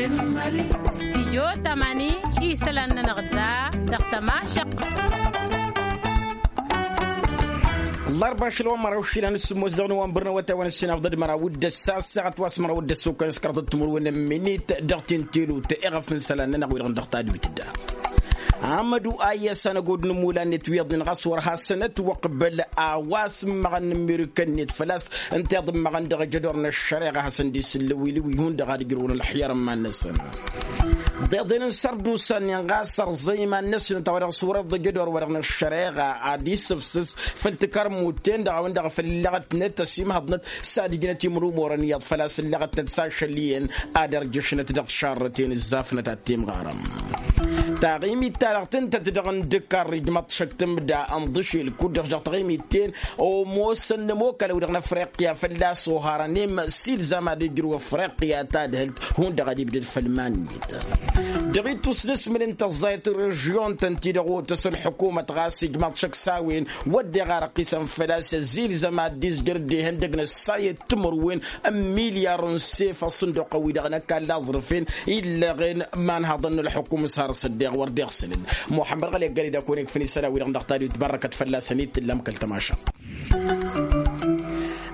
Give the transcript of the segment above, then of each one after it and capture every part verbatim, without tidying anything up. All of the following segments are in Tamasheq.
Stijyo tamani isălan-nănăɣ da dăɣ-tămašăq. Ḍarba ašăl wa n-măraw išilan s-sǝmmos dăɣ-nowănbăr n-awătay wa n-ǝssin afḍăd măraw d-ăssa ăssaɣăt wa s-măraw d-ăssokăn s-kăraḍăt timǝrwen n-minit dăɣ-tintelu ta iɣăf n-isălan-nănăɣ wi-dăɣ dăɣ-tadwit da. Amădu ayyăs anăgod n-ămmulan-net wi iyyăḍnen ɣas wăr hasăn-ătwăqbăl a-wa s-ǝmmăɣăn n-ămmirǝkăn-net făl-a-s ǝnta iḍǝmmăɣăn dăɣ-ajădor n-ăššăreɣa a hasăn-dd-isǝllǝwǝlǝwǝy hundăɣ ad-ǝjrǝwăn ălxiyăr n-iman-năsăn. Ḍeḍen n-sărdusa-nin ɣas ărẓa iman-năsnăt a-wa dăɣ-s wăr-iḍǝj ădor-wa-dăɣ n-ăššăreɣa ad-isǝfsǝs făll-tikărmut-ten-dăɣ a-wen-dăɣ făll-illăɣătnăt ăsimhăḍnăt s-ad-ǝjnăt imrumorăn iyyăḍ făl-a-s illăɣătnăt s-ašăl iyyăn ad-ărjăšnăt dăɣ-tišarrăten ǝzzafnăt ad-timɣarăm. Taɣimit-ta-dăɣ tǝntăt dăɣ-inǝdǝkkarr ijmăḍ-t šăk tǝmda ănḍǝšel kud-dăɣ dăɣ-taɣimit-ten omosăn n-ămokal a-wi-dăɣ n-afriqya fălla-s oharăn imm s-ilzam ad-ijrǝw afriqya tadhǝlt hundăɣ ad-ibdăd făll-iman-net. Dăɣ-ittus n-asmǝl n-tăẓẓayăt režyon-tăn-ti-dăɣ otăs ălḥukumăt ɣas ijmăḍ-t šăk s-a-wen wădden iɣarăqqisăn făl-a-s ăzilzăm ad-dd-izjăr dd-ihăndăg n-ăssayăt timǝrwen n-milyar n-sef ăṣṣǝnduq-wi-dăɣ n-ăkall aẓrǝf-en illăɣen imanhăḍăn n-ălḥukum s-har s-ăddeɣ wăr dd-iɣsǝlăn. Muḥămmăd ɣăli ăggăre d-akăwăn-ikfăn isălan-wi-dăɣ n-dăɣ-tadwit bărrăkăt fălla-săn itǝllam kăl-tămaša.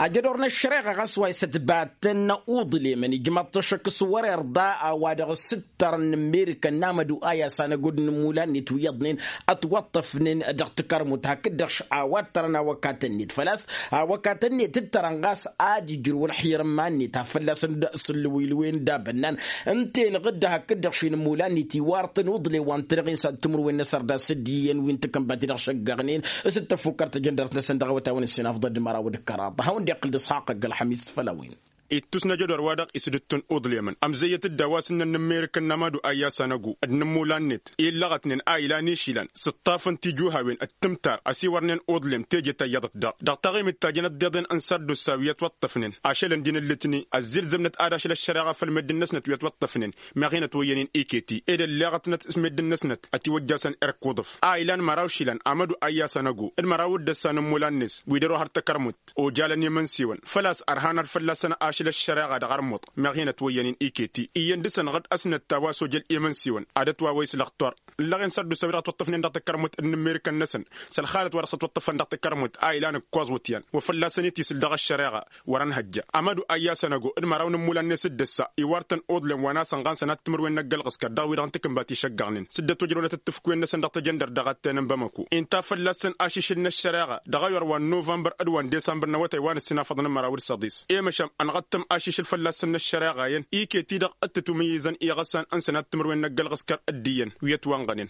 Ajădor n-ăššăreɣa ɣas wa isătbatăn uḍlemăn ijmăḍ-t ăššăk s-wăr-irḍa a-wa dăɣ-s ǝttărăn n-amerika n-amădu a i-asăn ăgod n-ămmulan-net wi iyyăḍnen ătwăṭṭăfnen dăɣ-tikărmut hakd-dăɣ a-wa ǝttărăn awăkatăn-net făl-a-s awăkatăn-net ǝttărăn ɣas ad-ijrǝw ălxiyăr n-iman-net a fălla-săn d-sǝllǝwǝylǝwen d-abănnan ǝnta-enăɣ-dd hakd-dăɣ šin ămmulan-net iwar-tăn uḍle wa n-tărăɣ-in s-ad-timǝrwen n-asăr d-asǝddi iyyăn wi n-takǝnbat-i-dăɣ šăggăɣnen s-dd-tăfukkăr tajăndărt-năsăn dăɣ-awătay wa n-ǝssin afḍăd măraw d-kăraḍ a hawăn-dd-iqqǝl d-ǝsxaqq ăgg-ălxămis făll-a-wen. Ittus n-ajădor wa dăɣ-isǝdǝttǝn uḍlemăn ămzăyyăt-dd a-wa s-ǝnnăn n-amerika n-amadu ayyas anăgo d-inǝmmulan-net illăɣătnen a ilan išilan s-ǝṭṭafăn tijuhawen d-tǝmtar ăsiwărnen uḍlem teje ta iyyăḍăt daɣ dăɣ-taɣimit ta jănăt deḍen n-sărdusa wi ătwăṭṭăfnen ašăl ǝndin ǝllǝtni ăzzilzămnăt ad-ašăl ăššăreɣa făll-meddǝn-năsnăt wi ătwăṭṭăfnen meɣ hin-ătwăyyăn-in iketi ed ălleɣătnăt s-meddǝn-năsnăt ătiwăjjasăn irk uḍǝf a ilan măraw išilan amădu ayyas anăgo d-măraw d-ăssan n-immulan-net wi dăr-ohăr takărmut ojalăn imǝnsiwăn făl-a-s ărhanăr fălla-săn ašăl ăššăreɣa dăɣ-armuḍ meɣ hin-ătwăyyăn-in iketi iyyăn dăɣ-săn ɣǝd ăsnăt a-wa s-ojăl imǝnsiwăn ad-ătwawăy s-lăxtor ǝllăɣen sărdusa wi dăɣ-ătwăṭṭăfnen dăɣ-takărmut n-immirǝkăn-năsăn s-ălxalăt wa dăɣ-s ătwăṭṭăfăn dăɣ-takărmut a ilan ǝkkoẓ wǝtyan wa fălla-săn itisǝl dăɣ-ăššăreɣa wăr-ănhăjja amădu ayyas anăgo d-măraw n-immulan-net d-ăssa iwar-tăn uḍlem wa n-asăn ɣan sănat timǝrwen n-ăgg-ălɣǝskăr dăɣ-wi-dăɣ n-takǝnbat išăggăɣnen s-dd-ătwăjrăwnăt d-tǝfkwen-năsăn dăɣ-tajăndărt dăɣ-attănăn bamăko inta fălla-săn ašišǝl n-ăššăreɣa dăɣ-ayyor wa n-novămbăr d-wa n-desămbăr n-awătay wa n-ǝssin afăḍăn n-măraw d-săḍis i-măšan ănɣăttăm ašišǝl fălla-săn n-ăššăreɣa-en iket-i-dăɣ d-tǝtwǝmǝyyǝzăn iɣăssan n-sănat timǝrwen n-ăgg-ălɣǝskăr d-iyyăn wi ătwănɣănen.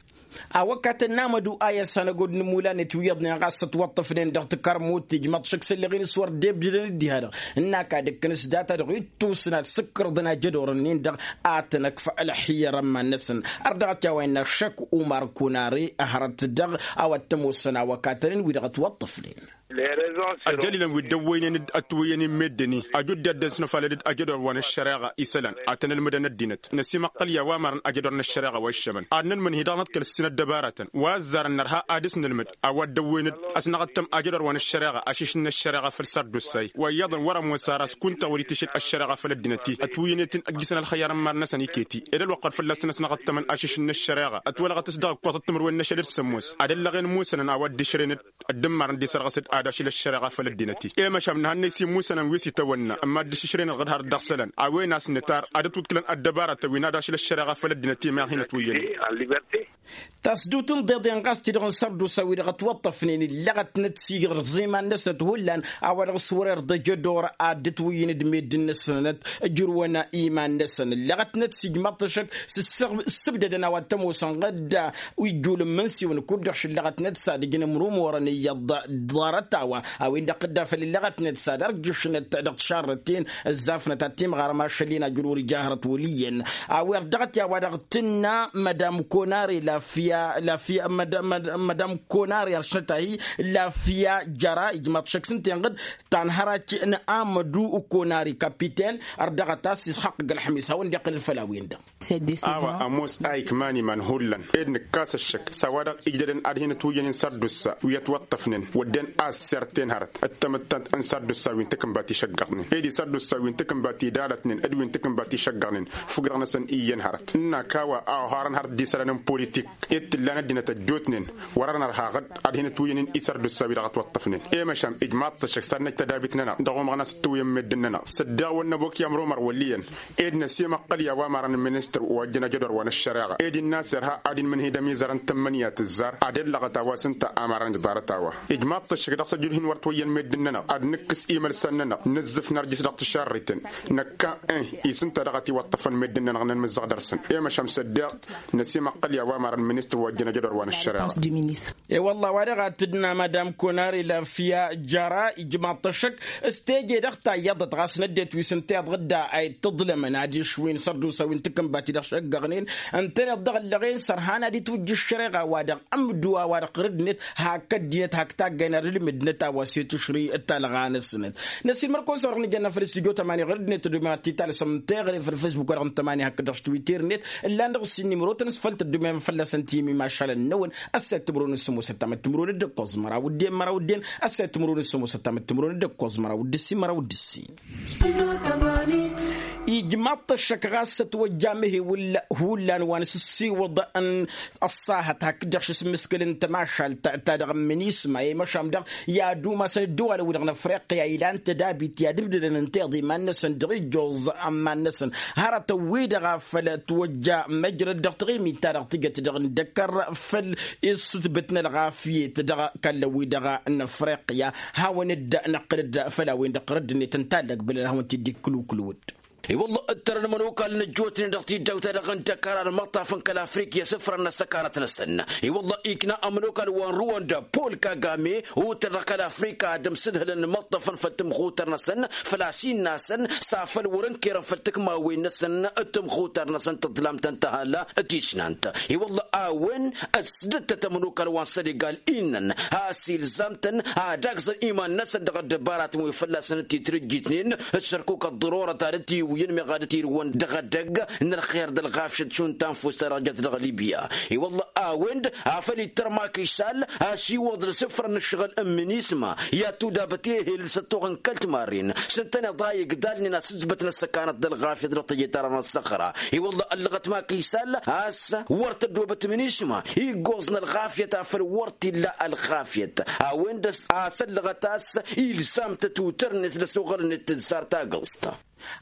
Awăkatăn n-amădu a i-ăssanăgod n-imula-net wi iyyăḍnen ɣas ătwăṭṭăfnen dăɣ-tikărmut tijmăḍ šăkk s-ălleɣ-in s-wăr dd-ebdǝdăn dd-iha-dăɣ ǝnn'-ak ad-ǝkkǝn s-data-dăɣ ittusna d-sǝkkărḍăn ajădor-ǝnnin-dăɣ ad-tăn-ăkf ălxiyăr ămman-năsăn. Ărdăɣăt i-a-wa innă šăkk umar kunare ăhrăt dăɣ-a-wa t-ămoosăn awăkatăn-in wi-dăɣ ătwăṭṭăfnen. Ăddălilăn wi dd-ăwwăynen d-ătwǝyyăn-in meddǝn-i ăjudde ad-dd-ănsănăfalăd d-ajădor wa n-ăššăreɣa isălan ad-tăn-ălmǝdăn ăddinăt năsimăqqăl i-a-wa mărăn ajădor n-ăššăreɣa wa iššămăn ad-nǝnmǝnhi dăɣ-năt kăl-ǝssin ăddăbarătăn wa ăzzarăn nărha ad-dăɣ-s nǝlmǝd a-wa dd-ăwwăynăd a-s năɣăttăm ajădor wa n-ăššăreɣa ašišǝl n-ăššăreɣa făll-sărdussay wa iyyăḍăn wăr-ămoos ar ăskuntăɣ wăr-itǝšǝl ăššăreɣa făll-ăddinăt-i ătwǝyyǝnet-in ăjjǝsăn ălxăyyăr n-imar-năsăn iket-i ed ălwăqq ad-fălla-săn ăsnăɣăttămăn ašišǝl n-ăššăreɣa ătwălɣăt s-dăɣ-ǝkkoẓăt timǝrwen n-ašăl d-sămoos ad-ăllăɣen musănăn a-wa dd-išrăynăd ăddǝmmar n-dd-isărɣǝs-dd ad-ašǝl ăššăreɣa făll-ăddinăt-i i-măšan nǝhănnăy s-imusănăn wi s-itawănna ămma dd-išǝšrăynăd ɣǝd har dd-ăɣsălăn a-wen a-s nǝtar ad-ătwǝḍkǝlăn ăddăbarătăn wi n-ad-ašǝl ăššăreɣa făll-ăddinăt i-meɣ hin-ătwǝyyăn. Tasdut n-iḍeḍen ɣas ti-dăɣ n-sărdusa wi-dăɣ ătwăṭṭăfnen ǝllăɣătnăt s-iɣrǝẓ iman-năsnăt hullan a-wa dăɣ-s wăr-irḍăj ădor ad-dd-ătwǝyyǝn d-meddǝn-năsnăt ǝjrǝwăn iman-năsăn ǝllăɣătnăt s-ijmăḍ-t ăššăk s-ǝssǝbdădăn a-wa t-ămoosăn ɣǝdda ijjul n-imǝnsiwăn kud-dăɣ šǝllăɣătnăt s-ad-ǝjnǝm rumorăn iyyăḍ ḍarăt-a-wa a-wen-dăɣ tǝdda făll-ǝllăɣătnăt s-ad-ărjǝšnăt dăɣ-tišarrăten ǝzzafnăt ad-timɣarăm ašăl-in ajǝl wăr-ija hărăt wăl' iyyăn. A-wer dăɣ-t i-a-wa dăɣ-tǝnna madam konare. Lafya lafya madam konari ăršnăt-ahi. Lafya jăra ijmaḍ šăkk s-ǝnta inɣǝd tanhărac n-amădu konari kapiten ărdăɣăt a-s isxaqq ălxămis hawăn-dd-iqqǝlăn făll-a-wen-dăɣ. A-wa ămoos a ikman iman hullan ed nǝkkas ăššăk s-a-wa-dăɣ ijdădăn ad-hin-ătwǝyyăn-in sărdusa wi ătwăṭṭăfnen wădden a ăsserten hărăt d-tamǝttant n-sărdusa wi n-takǝnbat išăggăɣnen ed isărdusa wi n-takǝnbat idalătnen d-wi n-takǝnbat išăggăɣnen. Fǝgg-dăɣ-năsăn iyyăn hărăt ǝnnak a-wa a oharăn hărăt d-isălan n-politik ed t-ǝllan ăddinăt ăjjootnen wăr-arăn ărhaɣ-dd ad-hin-ătwǝyyăn-in isărdusa wi dăɣ-ătwăṭṭăfnen. I-măšan ijmaḍ-t ăššăk s-ad-năj tădabit-nănăɣ dăɣ-umăɣnas d-tǝwǝyăn meddǝn-nănăɣ s-ăddeɣ wăr năbok i-amrumăr wăl' iyyăn ed năsimăqqăl i-a-wa marăn n-ministăr wa ăjjăn ajădor wa n-ăššăreɣa ed innă a-s irha ad-inmǝnhǝy d-ămizărăn tǝmmǝnǝya tǝzzar ad-ellăɣăt a-wa s-ǝnta a marăn ijḍarăt a-wa. Ijmaḍ-t ăššăk dăɣ-s ăjulhin wăr t-wăyyăn meddǝn-nănăɣ ad-nǝkkǝs imălsan-nănăɣ nǝzzǝf nărjǝs dăɣ-tǝšarriten năkka ih isǝnta dăɣ-t-iwăṭṭăfăn meddǝn-nănăɣ n-anmǝzzăɣ dăr-săn. I-măšan s-ăddeɣ năsimăqqăl i-a-wa marăn n-ministăr wa ăjjăn ajădor wa n-ăššăreɣa. E-wălla a-wa-dăɣ a t-dd-nămădam konari lafya jăra ijmaḍ-t ăššăk s-teje dăɣ-tayyăḍăt ɣas n-ăddinăt wi s-ǝnta iḍɣǝdda a ittǝḍlămăn adiš wi n-sărdusa wi n-takǝnbat-i-dăɣ šăggăɣnen ǝntăneḍ dăɣ-ăllăɣen s-ărhan ad-itwǝjj ăššăreɣa-wa-dăɣ ămdǝw a-wa-dăɣ ɣur-ǝddinăt hak ăddinăt hak taggay n-ad-ǝlmǝd n-ătawăse tǝšri talɣa-năsnăt. Năsiilmăr-kăwăn s-a-wa-dăɣ nǝjănna făll-stujo tămani ɣur-ăddinăt ăddomen ad-t-italsăm teɣăre făll-facebook-wa-dăɣ n-tămani hakd-dăɣ s-twitter-net ǝllan dăɣ-s innimărotăn s-făll-tăddomen fălla-săn timimašalăn-năwăn. Ăssayăt timǝrwen s-sămoosăt tamăt timǝrwen d-ǝkkoẓ măraw d-en măraw d-en. Ăssayăt timǝrwen s-sămoosăt tamăt timǝrwen d-ǝkkoẓ măraw d-ǝssin măraw d-ǝssin. Ijmaḍ-t ăššăk ɣas ătwăjja amǝhewǝl hullan wa n-asǝssiwǝḍ n-ăṣṣahăt hakd-dăɣ šismǝskǝl n-tămašalt ta dăɣ-minisma i-măšan dăɣ i-ad-umasăn ăddăwalăn-wi-dăɣ n-afriqya ilan tădabit i-ad-ǝbdădăn ǝnta iḍa iman-năsăn dăɣ-ijjoẓ ămman-năsăn hărătăn-wi-dăɣ a făl ătwăjja măjrăd dăɣ-taɣimit-ta-dăɣ tǝjăt dăɣ-indăkkăr făll-isǝtbǝt n-ălɣafyet dăɣ-kallăn-wi-dăɣ n-afriqya. Hawăn-dd-năqqǝl-dd făll-a-wen-dăɣ ɣur-ăddinăt n-tallăg bălăl hawăn-t-dd-ikkǝlwǝklǝwǝd. I-wălla ǝttărăn imănokal n-ăjjootnen dăɣ-tiddawt-ta-dăɣ n-dăkar ad-imăṭṭafăn kăl-afrikya s-ǝfrăn n-ăssăkanăt-năsăn. I-wălla ikna ămănokal wa n-ruwanda pawl kagame otăr dăɣ-kăl-afrika ad-ămsǝdhǝlăn imăṭṭăfăn făll-tămxutăr-năsăn făl-a-s innă-asăn s-afăl wăr-ǝnkărăn făll-tǝkmawen-năsăn. Tămxutăr-năsăn tǝḍlamt ǝnta hăla tisnant. I-wălla a-wen ăsdăttăt ămănokal wa n-sănegal innăn a-s ilzam-tăn ad-agzăn iman-năsăn dăɣ-ăddăbaratăn wi fălla-săn dd-titrǝjjitnen d-sărkuk ăḍḍărorăt ad-dd-tiwǝyăn meɣ ad-dd-tirǝwăn dăɣ-edăgg n-ălxer d-ălɣafyăt šund tanfust ta dăɣ-jăt dăɣ-libya. I-wălla a-wen-dd afăl ittăr makisal asiwăḍ d-asǝfrăn n-ǝššăɣǝl n-minisma i-ad-tudabăt ehel d-săttoɣăn kăl-timarren s-ǝntăneḍ a igdalnen asǝzbăt n-ăssăkanăt d-ălɣafyăt dăɣ-tejăt ara n-ăssăxra. I-wălla ăllăɣăt makisal a-s wăr tăddoobăt minisma iggoẓ n-ălɣafyăt afăl wăr t-illa ălɣafyăt. A-wen-dăɣ a-s ăllăɣăt a-s ilzam-tăt utărnet d-ăsoɣălnet tǝzzar tagǝẓt.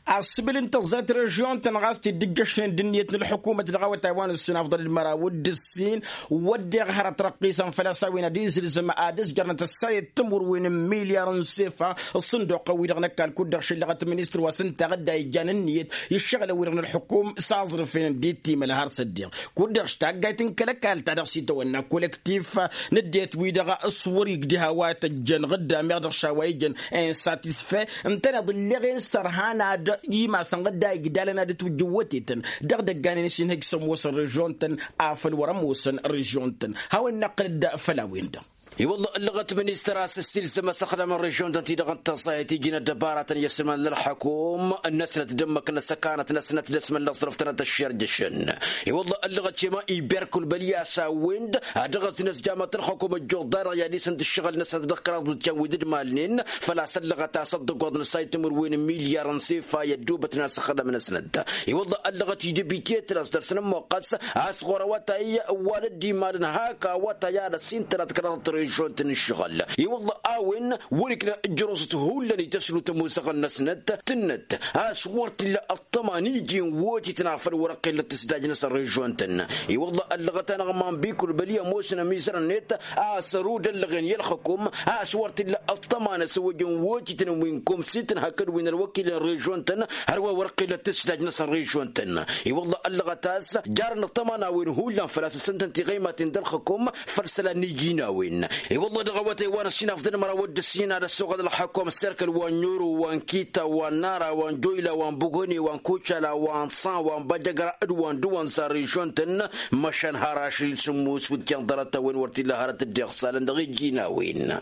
Asǝbǝl n-tăẓẓayăt režyon-tăn ɣas t-dd-ǝjjăšnen d-ǝnniyăt n-ălḥukumăt dăɣ-awătay wa n-ǝssin afḍăl d-măraw d-ǝssin. Wădden hărăt răqqisăn făl-a-s a-wen ad-izǝlzăm ad-ǝzjărnăt ăssayăt timǝrwen n-milyar n-sefa. Ǝṣṣǝnduqăn-wi-dăɣ n-ăkall kud-dăɣ šǝllăɣăt ministăr wa s-ǝnta a dd-a ijjan ǝnniyăt iššăɣǝlăn-wi-dăɣ n-ălḥukum s-aẓrǝf-en dd-itimăl har s-ăddiɣ kud-dăɣ s-taggayt n-kăl-ăkall ta dăɣ-s itawănna kolektif n-ăddinăt-wi-dăɣ s-wăr-igdǝh a-wa tăjjăn ɣǝdda meɣ dăɣ-š a-wa ijăn insatisfe ǝntăneḍ ǝlleɣ-en s-ărhan ad-imasăn ɣǝdda igdalăn ad-ǝtwǝjjǝwwătetăn dăɣ-idăgganen s-inhǝj s-ămoosăn režyon-tăn. Afăl wăr-ămoosăn režyon-tăn hawăn-năqqǝl-dd făll-a-wen-dăɣ. I-wălla ăllăɣăt ministăr a-s ăssiilzăm asăxdam n-režyon-tăn-ti-dăɣ n-tăẓẓayăt iji n-ăddăbaratăn i-ăsmălăn ălḥăkum-năsnăt d-ǝmmǝk n-ăssăkanăt-năsnăt d-asmălăn aẓrǝf-tănăt ăššerjăšăn. I-wălla ăllăɣăt šema iber kăl-bălya s-a-wen-dd ad-dăɣ-ăzǝnăs jamăt ălxăkum ăjjoḍ-da-dăɣ i-ad-isǝnt ǝššăɣǝl-năsnăt dăɣ-kăraḍ wǝtyan wi dd-malnen făl-a-s ăllăɣăt a-s ăḍḍăgoḍ n-ăssayăt timǝrwen n-milyar n-sefa i-ăddoobătnen asăxdam-năsnăt. I-wălla ăllăɣăt idăbitet-năs dăr-săn ămmoqqăs a-s ɣur-awătay wa n-ăddimalăn hak awătay ad-ăsintănăt kăraḍăt režyon-tăn ǝššăɣǝl. I-wălla a-wen wăr-ikna ǝjrăẓăt hullan i-tăslut ămoosăɣăn-năsnăt tǝnnăt a-s wăr t-illa ăṭṭăma n-iji n-wotităn afăl wăr-ăqqillăt tǝsdajnăsăn režyon-tăn. I-wălla ăllăɣăt-anăɣ manbikul băli ămoosăn ămizărăn-net a-s ărud ăllăɣen i-ălxăkum a-s wăr t-illa ăṭṭăma n-asăwăjăn wotităn wi n-komsităn hakd wi n-ălwăkilăn režyon-tăn hărwa wăr-ăqqillăt tǝsdajnăsăn režyon-tăn. I-wălla ăllăɣăt a-s jarăn ăṭṭăma n-a-wen hullan făl-a-s ǝssǝntăn tiɣăymaten d-ălxăkum făll-isălan n-iji n-a-wen. I-wălla dăɣ-awătay wa n-ăssinafḍăn măraw d-ǝssin ad-ăssoɣăl ălxakum s-erkăl wa n-nyuru wa n-kita wa n-nara wa n-joyla wa n-bugoni wa n-kucala wa n-san wa n-bajăgra d-wa n-dǝwăn s-arrišon-tăn. Măšan har ašăl sǝmmus wǝtyan ḍarăt-a-wen wăr t-illa hărăt dd-iɣsalăn dăɣ-ijjin a-wen.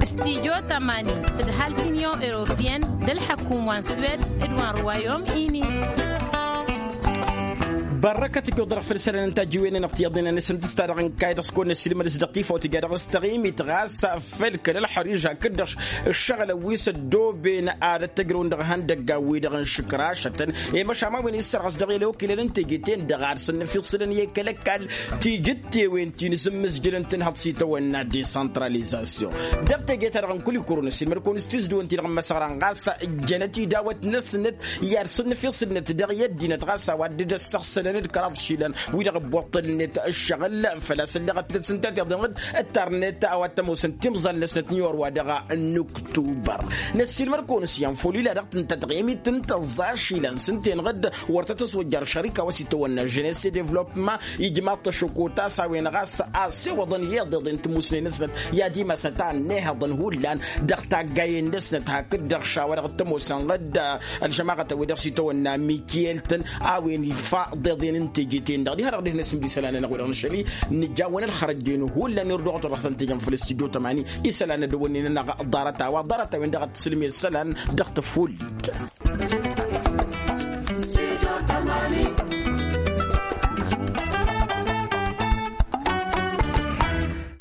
Stijo tămani d-halkǝnyon europiyăn d-ălḥăkum wa n-swed d-wa n-ruwayom ini. Bărrăkăt ǝjjoḍ dăɣ-făll-isălan n-tajjiwen-nănăɣ tiyyăḍnen a-năsǝntǝs-ta-dăɣ n-kayy dăɣ-s kăwăn-năssiilmăd s-dăɣ-tifawt ija dăɣ-s taɣimit ɣas făll-kăl-ălxăriž hakd-dăɣ ǝššăɣǝlăn wi s-ăddooben ad-ăttăjrăwăn dăɣ-ihăndăggan-wi-dăɣ n-išǝkrašătăn. I-măšan ma wi n-issărɣǝs dăɣ-i ălwăkilăn n-teje-ten-dăɣ ad-sănnăfiṣǝlăn i-kăl-ăkall tijǝttewen ti n-asǝmmǝzjǝlăn tǝnhăḍ s-itawănna desantralizasyon. Dăɣ-teje-ta-dăɣ n-kul-ikurun ăssiilmăd-kăwăn s-tizdǝwăn-ti-dăɣ n-imăsăɣra ɣas jănăt idawăt-năsnăt i-ad-sănnăfiṣǝlnăt dăɣ-i ăddinăt ɣas a-wa dd-ăssăɣsălăn d-kăraḍ išilan wi-dăɣ ăbbuṭṭălnet ǝššăɣǝl făl-a-s ălleɣăt-net s-ǝnta tiḍenɣ-dd ǝttarnet a-wa t-ămoosăn timẓal-năsnăt n-iwăr wa dăɣ-nǝktubăr. Năssiilmăd-kăwăn s-iyyăn făw lila dăɣ-tǝnta taɣimit n-tăẓẓa ašilan s-ǝnta-enăɣ-dd wăr tăt-ăswăjjar šărika wa s-itawănna žănes i-devlopma ijmaḍ-t ăšokot a-s a-wen ɣas a ăssewăḍăn i-iḍeḍen tămusne-năsnăt i-ad-imasăn ta ănnihăḍăn hullan dăɣ-taggayen-năsnăt hakd-dăɣ šawa dăɣ-t-ămoosăn ɣǝd ălžămaɣăt a-wen-dăɣ s-itawănna mikyel-tăn a-wen ifa iḍeḍen n-teje-ten-dăɣ diha-dăɣ dihnăs n-dd-isălan-nănăɣ wi-dăɣ nǝšăl-i nǝjawăn ălxărăjjen hullan irduɣăt wa dăɣ-săn tejăn făll-studyo tămani isălan ad-ăwănnen-anăɣ ḍarăt-a-wa ḍarăt-a-wen-dăɣ ad-t-sǝlme isălan dăɣ-tăfullit.